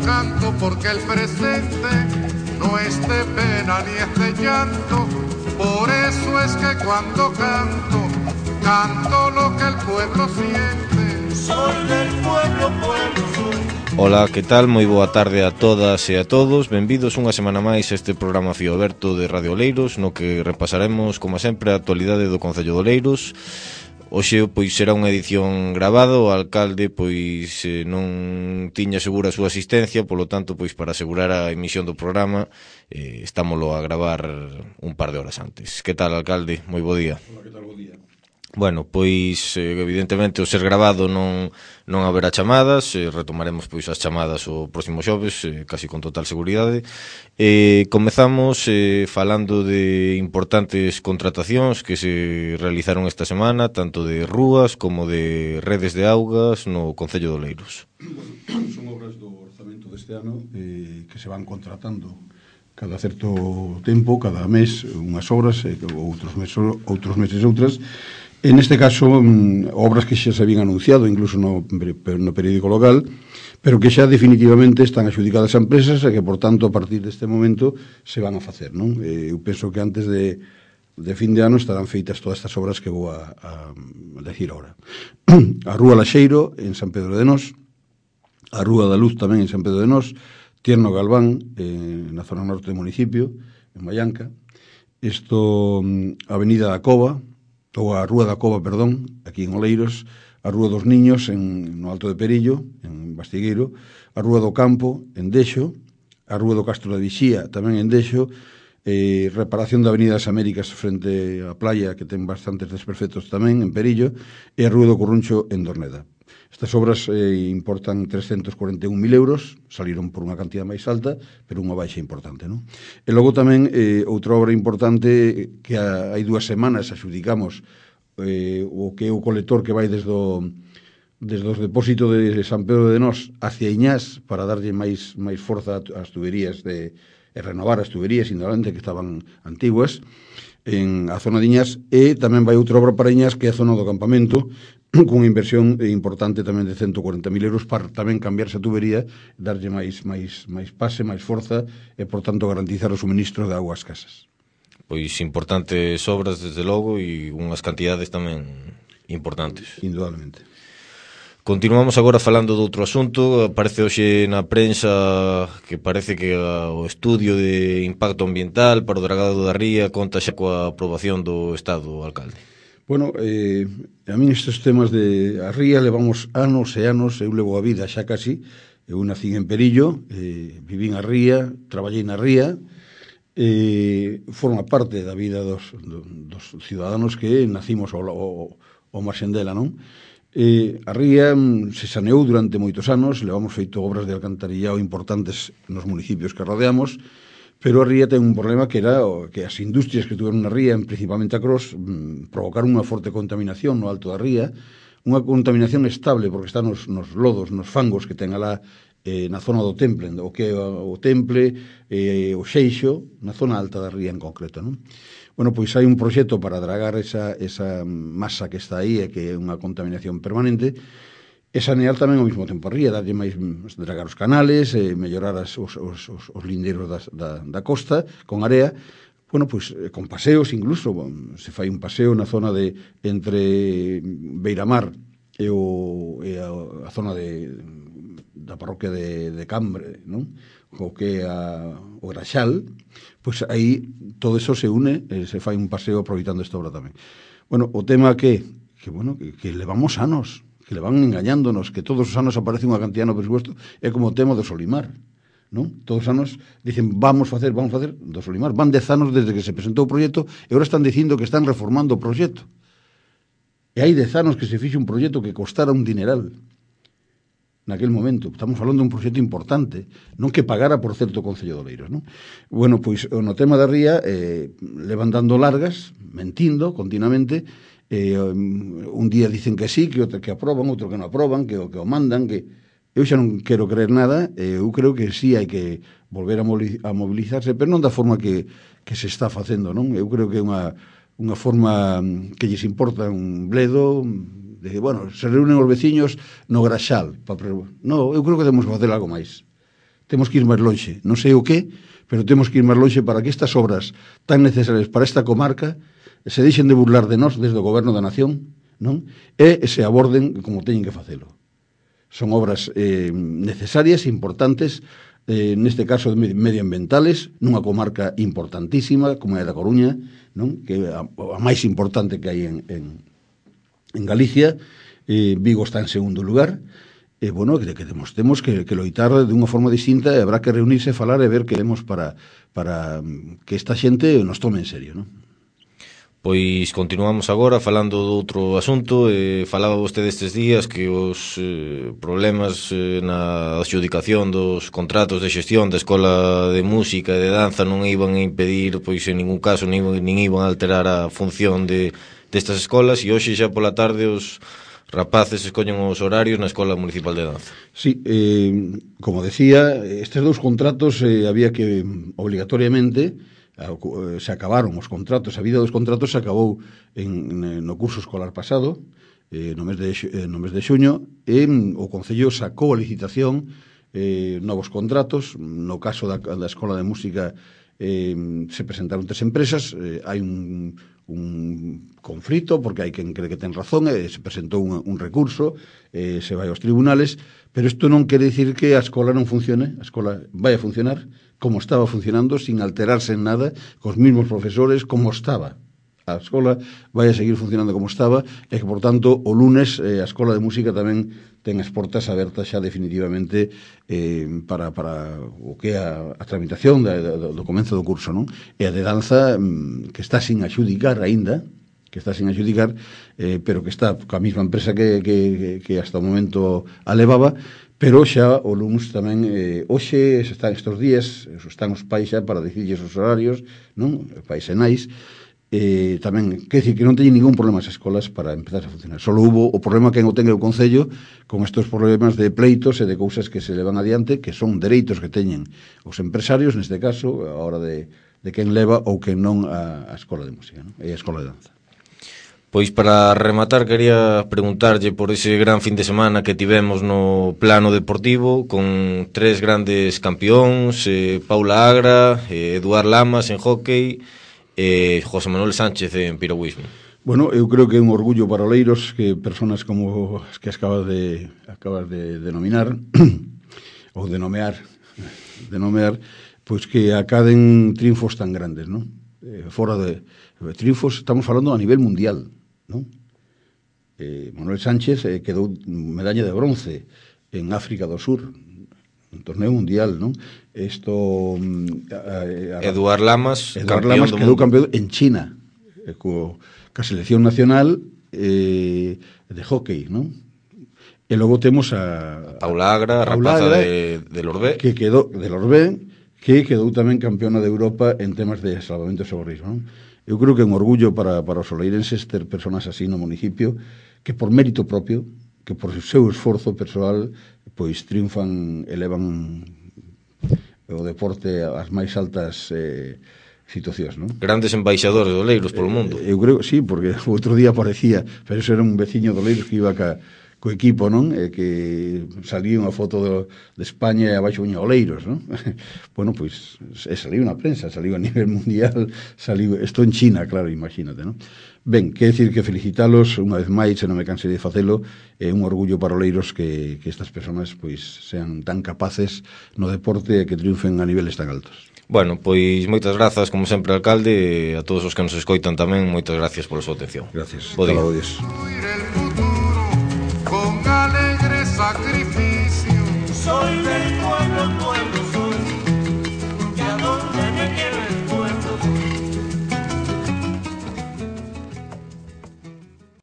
canto porque el presente no es de pena ni es de llanto. Por eso es que cuando canto, canto lo que el pueblo siente. Soy del pueblo, pueblo soy. Ola, que tal? Moi boa tarde a todas e a todos. Benvidos unha semana máis a este programa Fío Aberto de Radio Oleiros, no que repasaremos, como sempre, a actualidade do Concello de Oleiros. Hoxe, pois, será unha edición grabada. O alcalde, pois, non tiña segura a súa asistencia, polo tanto, pois, para asegurar a emisión do programa, estámolo a gravar un par de horas antes. Que tal, alcalde? Moi bo día. Hola, que tal? Bo día. Bueno, pois, evidentemente, o ser grabado non haberá chamadas, retomaremos, pois, as chamadas o próximo xoves, casi con total seguridade. Comezamos falando de importantes contratacións que se realizaron esta semana, tanto de rúas como de redes de augas no Concello de Oleiros. Bueno, son obras do orzamento deste ano que se van contratando cada certo tempo, cada mes unhas obras, outros meses outras. En este caso, obras que xa se habían anunciado, incluso no periódico local, pero que xa definitivamente están adxudicadas a empresas e que, por tanto, a partir deste momento se van a facer, non? Eu penso que antes de fin de ano estarán feitas todas estas obras que vou a decir ahora. A Rúa Laxeiro, en San Pedro de Nós, a Rúa da Luz tamén en San Pedro de Nós, Tierno Galván, na zona norte do municipio, en Mallanca, a Avenida da Cova, ou a Rúa da Cova, perdón, aquí en Oleiros, a Rúa dos Niños no Alto de Perillo, en Bastigueiro, a Rúa do Campo, en Dexo, a Rúa do Castro da Vixía, tamén en Dexo, reparación da Avenida das Américas frente á playa, que ten bastantes desperfectos tamén, en Perillo, e a Rúa do Corruncho, en Dorneda. Estas obras importan 341.000 euros, saliron por unha cantidad máis alta, pero unha baixa importante, non? E logo tamén outra obra importante que hai 2 semanas axudicamos o que é o colector que vai desde os depósitos de San Pedro de Nós hacia Iñás para darlle máis forza ás tuberías e renovar as tuberías, indudablemente, que estaban antiguas en a zona de Iñás, e tamén vai outra obra para Iñás, que é a zona do campamento, cunha inversión importante tamén de 140.000 euros para tamén cambiarse a tubería, darlle máis pase, máis forza e, por tanto, garantizar o suministro de auga ás casas. Pois importantes obras, desde logo, e unhas cantidades tamén importantes. Indudablemente. Continuamos agora falando de outro asunto. Aparece hoxe na prensa que parece que o estudio de impacto ambiental para o dragado da ría conta xa coa aprobación do Estado, alcalde. Bueno, a min estes temas de a ría levamos anos e anos, eu levo a vida xa casi, eu nacín en Perillo, vivín a ría, traballei na ría, forma parte da vida dos ciudadanos que nacimos ao marxen dela, non? A ría se saneou durante moitos anos, levamos feito obras de alcantarillado importantes nos municipios que rodeamos, pero a ría ten un problema que era que as industrias que tuveron na ría, principalmente a Cros, provocaron unha forte contaminación no alto da ría, unha contaminación estable, porque está nos lodos, nos fangos que ten alá na zona do Temple, o que é o Temple, o Xeixo, na zona alta da ría en concreto, non? Bueno, pois hai un proxecto para dragar esa masa que está aí e que é unha contaminación permanente, e sanear tamén ao mesmo tempo a ría, darlle máis, dragar os canales, mellorar os lindeiros da costa con area, bueno, pois con paseos incluso, se fai un paseo na zona de entre Beiramar e a zona da parroquia de Cambre, non? O que é o Graxal, pois aí todo eso se une, se fai un paseo aproveitando esta obra tamén. Bueno, o tema que levamos anos, que le van engañándonos, que todos os anos aparece unha cantidad no presupuesto, é como o tema do Solimar, non? Todos os anos dicen, vamos facer do Solimar. Van 10 anos desde que se presentou o proxecto e agora están dicindo que están reformando o proxecto. E hai 10 anos que se fixe un proxecto que costara un dineral. Naquel momento, estamos falando de un proxecto importante, non que pagara por certo Concello de Oleiros, non? Bueno, pois no tema da ría levan dando largas, mentindo continuamente. Un día dicen que sí, que aproban, outro que non aproban, que o mandan, que eu xa non quero creer nada. Eu creo que sí hai que volver a mobilizarse, pero non da forma que se está facendo, non? Eu creo que é unha forma que lles importa un bledo, de, bueno, se reúnen os veciños no Graxal. No, eu creo que temos que facer algo máis. temos que ir máis lonxe, non sei o que, pero temos que ir máis lonxe para que estas obras tan necesarias para esta comarca se deixen de burlar de nós desde o goberno da nación, non? E se aborden como teñen que facelo. Son obras necesarias, importantes, neste caso medioambientales, nunha comarca importantísima como é a da Coruña, non? Que é a máis importante que hai en Galicia. Vigo está en segundo lugar. Bueno, que temos que loitar de unha forma distinta, e habrá que reunirse, falar e ver que temos para que esta xente nos tome en serio, non? Pois continuamos agora falando do outro asunto. Falaba vostede estes días que os problemas na adxudicación dos contratos de xestión da Escola de Música e de Danza non iban a impedir, pois en ningún caso, nin iban a alterar a función destas escolas, e hoxe xa pola tarde os rapaces escollen os horarios na Escola Municipal de Danza. Sí, como decía, estes dous contratos había que obligatoriamente, se acabaron os contratos, a vida dos contratos se acabou no curso escolar pasado, no mes de xuño, e o Concello sacou a licitación novos contratos. No caso da Escola de Música se presentaron 3 empresas, hai un conflito porque hai quen cree que ten razón, se presentou un recurso, se vai aos tribunales, pero isto non quere dicir que a escola non funcione. A escola vai a funcionar como estaba funcionando, sin alterarse en nada, cos mismos profesores, como estaba. A escola vai a seguir funcionando como estaba, e que, por tanto, o lunes a Escola de Música tamén ten as portas abertas xa definitivamente para o que é a tramitación do comenzo do curso, non? E a de danza, que está sin adxudicar aínda, pero que está coa mesma empresa que hasta o momento a levaba, pero xa o lunes tamén, hoxe están estes días, están os pais xa para dicirlles os horarios, non? Pais e nais, tamén, quer dicir que non teñen ningún problema as escolas para empezar a funcionar. Solo hubo o problema que o ten o Concello con estes problemas de pleitos e de cousas que se levan adiante, que son dereitos que teñen os empresarios, neste caso, a hora de quen leva ou quen non a Escola de Música, non? E a Escola de Danza. Pois para rematar quería preguntarlle por ese gran fin de semana que tivemos no plano deportivo con 3 grandes campións, Paula Agra, Eduard Lamas en hóquei e José Manuel Sánchez en piragüismo. Bueno, eu creo que é un orgullo para Oleiros que personas como as que acabas de denominar ou de nomear, pois que acaden triunfos tan grandes, non? Fora de triunfos, estamos falando a nivel mundial, non? Manuel Sánchez quedou medalla de bronce en África do Sur, un torneo mundial, non? Eduard Lamas quedou campeón en China, ca selección nacional de hóquei, non? E logo temos a Paula Agra, a rapaza de Lorbé, que quedou tamén campeona de Europa en temas de salvamento e socorrismo, non? Eu creo que é un orgullo para os oleirenses ter personas así no municipio que por mérito propio, que por seu esforzo persoal, pois triunfan, elevan o deporte ás máis altas situacións, non? Grandes embaixadores de Oleiros polo mundo. Eu creo, sí, porque o outro día aparecía, pero eso era un veciño de Oleiros que iba co equipo, non? Que salía unha foto de España e abaixo viña Oleiros, non? Bueno, pois, saliu na prensa, saliu a nivel mundial, estou en China, claro, imagínate, non? Ben, quer decir que felicitalos unha vez máis, e non me cansei de facelo, é un orgullo para Oleiros que estas persoas pois sean tan capaces no deporte e que triunfen a niveles tan altos. Bueno, pois moitas grazas, como sempre, alcalde, e a todos os que nos escoitan tamén, moitas gracias pola súa atención. Gracias. Bo día. Hasta luego, adiós. Con alegre sacrificio